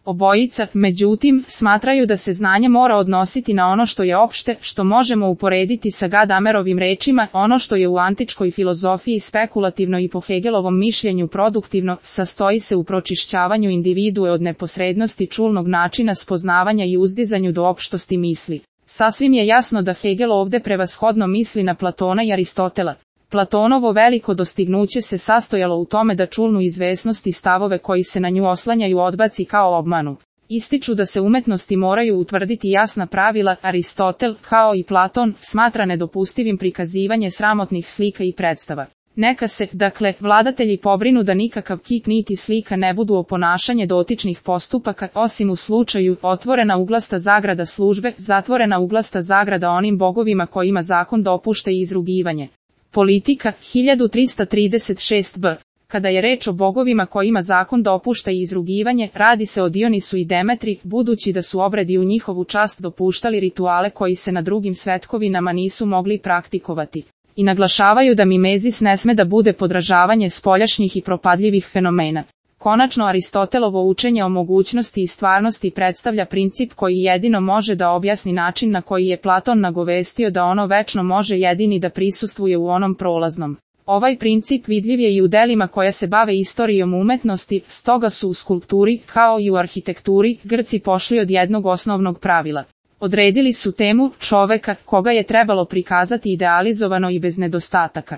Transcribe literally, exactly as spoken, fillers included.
Obojica, međutim, smatraju da se znanje mora odnositi na ono što je opšte, što možemo uporediti sa Gadamerovim rečima, ono što je u antičkoj filozofiji spekulativno i po Hegelovom mišljenju produktivno, sastoji se u pročišćavanju individue od neposrednosti čulnog načina spoznavanja i uzdizanju do opštosti misli. Sasvim je jasno da Hegel ovde prevashodno misli na Platona i Aristotela. Platonovo veliko dostignuće se sastojalo u tome da čulnu izvesnost i stavove koji se na nju oslanjaju odbaci kao obmanu. Ističu da se umetnosti moraju utvrditi jasna pravila. Aristotel, kao i Platon, smatra nedopustivim prikazivanje sramotnih slika i predstava. Neka se, dakle, vladatelji pobrinu da nikakav kip niti slika ne budu oponašanje dotičnih postupaka, osim u slučaju otvorena uglasta zagrada službe, zatvorena uglasta zagrada onim bogovima kojima zakon dopušta i izrugivanje. Politika, hiljadu trista trideset šest b. Kada je reč o bogovima kojima zakon dopušta i izrugivanje, radi se o Dionisu i Demetri, budući da su obredi u njihovu čast dopuštali rituale koji se na drugim svetkovinama nisu mogli praktikovati. I naglašavaju da mimezis ne sme da bude podražavanje spoljašnjih i propadljivih fenomena. Konačno, Aristotelovo učenje o mogućnosti i stvarnosti predstavlja princip koji jedino može da objasni način na koji je Platon nagovestio da ono večno može jedini da prisustvuje u onom prolaznom. Ovaj princip vidljiv je i u delima koja se bave istorijom umetnosti, stoga su u skulpturi, kao i u arhitekturi, Grci pošli od jednog osnovnog pravila. Odredili su temu čoveka, koga je trebalo prikazati idealizovano i bez nedostataka.